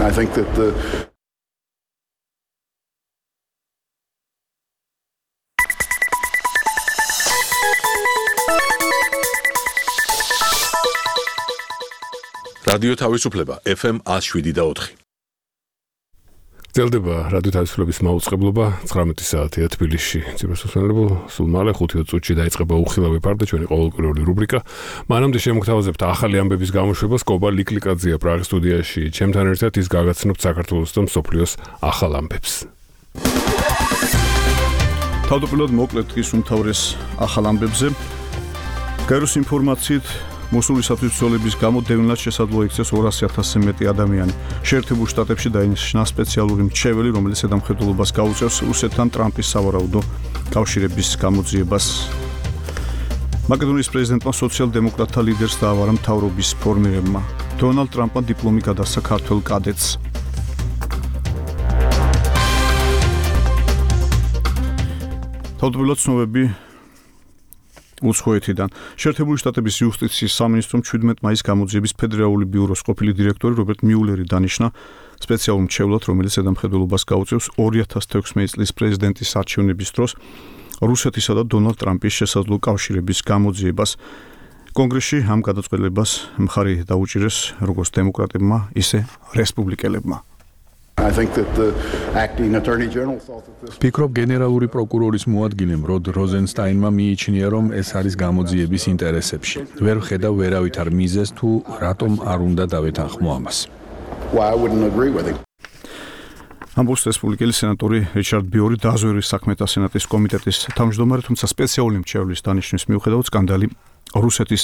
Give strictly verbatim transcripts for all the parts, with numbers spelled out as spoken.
I think that the რადიო თავისუფლება F M one oh seven და four. გრძელდება რადიო თავისუფლების მაუწყებლობა ცხრამეტი საათია თბილისში. ციფროსუსმელებო სულ მალე ხუთი წუთში დაიწყება უხილავი ფარდა ჩვენი ყოველკვირეული რუბრიკა. მანამდე შემოგთავაზებთ ახალი ამბების გამოშვებას კობა ლიკლიკაძეა პრაღის სტუდიაში. ჩემთან ერთად ის გაგაცნობთ საქართველოს და მსოფლიოს ახალ ამბებს. თავდაპირველად მოკლედ ის უმთავრეს ახალ ამბებზე. გაეროს ინფორმაციით მოსულისათვის ბრძოლების გამო დევნილად შესაძლოა იქცეს ორასი ათასზე მეტი ადამიანი. შეერთებულ შტატებში დაინიშნა სპეციალური მრჩეველი, რომელიც ზედამხედველობას გაუწევს რუსეთთან ტრამპის სავარაუდო კავშირების გამოძიებას. მაკედონიის პრეზიდენტმა სოციალ-დემოკრატთა ლიდერს დაავარა მთავრობის ფორმირებმა. დონალდ ტრამპმა დიპლომი გადასცა ქართველ კადეტს. თავდაპირველად ცნობები უცხოეთიდან. შეერთებული შტატების იუსტიციის სამინისტრომ ჩვიდმეტ მაისს გამოძიების ფედერალური ბიუროს ყოფილი დირექტორი რობერტ მიულერი დანიშნა სპეციალურ მრჩევლად, რომელიც ზედამხედველობას გაუწევს ორი ათას თექვსმეტი წლის პრეზიდენტის არჩევნების დროს რუსეთისა და დონალდ ტრამპის შესაძლო კავშირების გამოძიებას. კონგრესში ამ გადაწყვეტილებას მხარი დაუჭირეს როგორც დემოკრატებმა, ისე რესპუბლიკელებმა. I think that the acting attorney general thought that this Ფიქრობ გენერალური პროკურორის მოადგილემ როდ როზენსტაინმა მიიჩნია, რომ ეს არის გამოძიების ინტერესებში. ვერ ვხედავ ვერავითარ მიზეზს თუ რატომ არ უნდა დავეთანხმო ამას. why I wouldn't agree with him. ამბობს რესპუბლიკელი სენატორი რიჩარდ ბიორი დაზვერვის საქმეთა სენატის კომიტეტის თავმჯდომარე, თუმცა სპეციალური მრჩევლის დანიშვნის მიუხედავად სკანდალი რუსეთის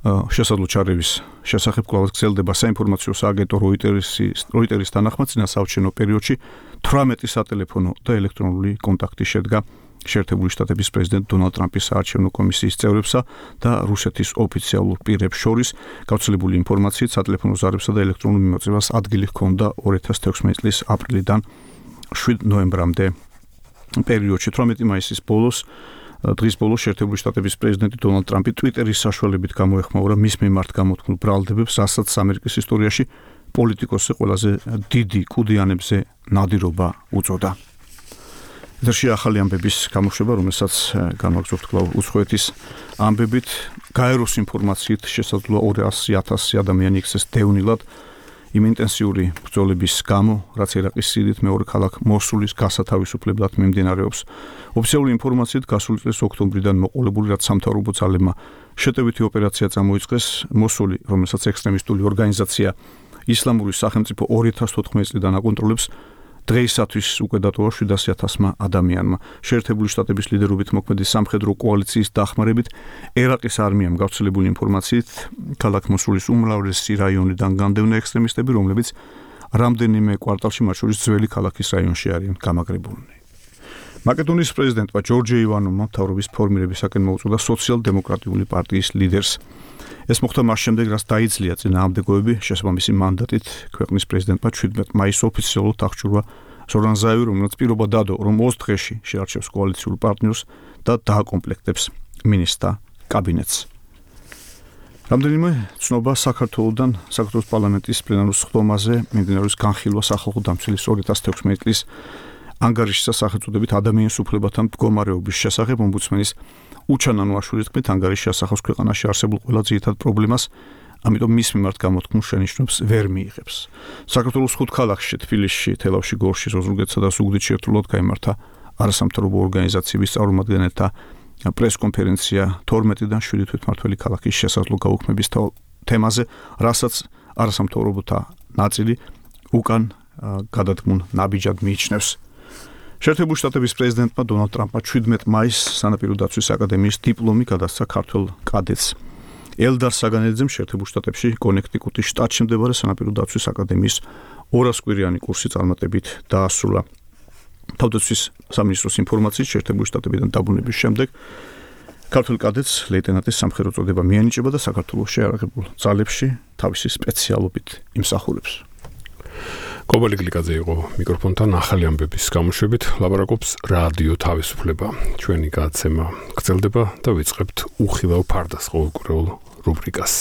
შესაძლო ჩარევის შესახებ კვლავ გრძელდება. საინფორმაციო სააგენტო როიტერის როიტერის თანახმად წინა საარჩევნო პერიოდში თვრამეტი სატელეფონო და ელექტრონული კონტაქტი შედგა შეერთებული შტატების პრეზიდენტ დონალდ ტრამპის საარჩევნო კომისიის წევრებსა და რუსეთის ოფიციალურ პირებს შორის. გავრცელებული ინფორმაციით სატელეფონო ზარებსა და ელექტრონულ მიმოწევას ადგილი ჰქონდა ორი ათას თექვსმეტი წლის აპრილიდან შვიდ ნოემბრამდე პერიოდში. თვრამეტი მაისის ბოლოს დღის ბოლოს შეერთებული შტატების პრეზიდენტი დონალდ ტრამპი ტვიტერის საშუალებით გამოეხმაურა მის მიმართ გამოთქმულ ბრალდებებს, რასაც ამერიკის ისტორიაში პოლიტიკოსზე ყველაზე დიდი კუდიანებზე ნადირობა უწოდა. ეთერში ახალი ამბების გამოშვება, რომელსაც განვაგრძობთ კვლავ უცხოეთის ამბებით. გაეროს ინფორმაციით შესაძლოა ორასი ათასი ადამიანი იქცეს დევნილად იმ ინტენსიური ბრძოლების გამო, რაც ერაყის სიდიდით მეორე ქალაქ მოსულის გასათავისუფლებლად მიმდინარეობს. ოფიციალური ინფორმაციით გასული წლის ოქტომბრიდან მოყოლებული, რაც სამთავრობო ძალებმა შეტევითი ოპერაცია წამოიწყეს, მოსული, რომელსაც ექსტრემისტული ორგანიზაცია ისლამური სახელმწიფო ორი ათას თოთხმეტი წლიდან აკონტროლებს, დღეისათვის უკვე დატოვა შვიდასი ათასმა ადამიანმა. შეერთებული შტატების ლიდერობით მოქმედი სამხედრო კოალიციის დახმარებით ერაყის არმიამ გავრცელებული ინფორმაციით ქალაქ მოსულის უმრავლესი რაიონიდან განდევნა ექსტრემისტები, რომლებიც რამდენიმე კვარტალში მათ შორის ძველი ქალაქის რაიონში არიან გამაგრებულნი. მაკედონიის პრეზიდენტმა ჯორჯი ივანოვმა მთავრობის ფორმირებისაკენ მოუწოდა სოციალ-დემოკრატიული პარტიის ლიდერს. ეს მოხდა მას შემდეგ, რაც დაიძლია წინააღმდეგოები შესაბამისი მანდატით ქვეყნის პრეზიდენტმა ჩვიდმეტ მაისს ოფიციალურად აღჭურვა ზორან ზაევი, რომელიც პირობა დადო, რომ ოცდ დღეში შეარჩევს კოალიციურ პარტნიორს და დააკომპლექტებს მინისტრთა კაბინეტს. რამდენიმე ცნობა საქართველოსთან საქართველოს პარლამენტის პლენარულ სხდომაზე მიმდინარეობს განხილვა სახალხო დამცველის ორი ათას თექვსმეტი წლის ანგარიშის სახელწოდებით ადამიანის უფლებათა მდგომარეობის შესახებ ომბუდსმენის უჩანანო აშურის თქმით, ანგარიში ასახავს ქვეყანაში არსებულ ყველა ძირითად პრობლემას, ამიტომ მის მიმართ გამოთქმულ შენიშვნებს ვერ მიიღებს. საქართველოს ხუთ ქალაქში, თბილისში, თელავში, გორში, ზოზურგეთსა და ზუგდიდში ერთდროულად გაიმართა არასამთავრობო ორგანიზაციების წარმომადგენელთა პრესკონფერენცია თორმეტიდან შვიდი თვითმმართველი ქალაქის შესაძლო გაუქმების თემაზე, რასაც არასამთავრობოთა ნაწილი უკან გადადგმულ ნაბიჯად მიიჩნევს. შეერთებული შტატების პრეზიდენტმა დონალდ ტრამპმა ჩვიდმეტ მაისს სანაპირო დაცვის აკადემიის დიპლომი გადასცა ქართველ კადეტს. ელდარ საგანეძემ შეერთებულ შტატებში კონექტიკუტის შტატში მდებარე სანაპირო დაცვის აკადემიის ორას კვირიანი კურსი წარმატებით დაასრულა. თავდაცვის სამინისტროს ინფორმაციით შეერთებული შტატებიდან დაბრუნების შემდეგ ქართველ კადეტს ლეიტენანტის სამხედრო წოდება მიანიჭება და საქართველოს შეიარაღებულ ძალებში თავისი სპეციალობით იმსახურებს. კობა ლიკლიკაძე იყო მიკროფონთან ახალი ამბების გამოშვებით, ლაპარაკობს რადიო თავისუფლება. ჩვენი გადაცემა გრძელდება და ვიწყებთ უხილავ ფარდას ყოველკვირეულ რუბრიკას.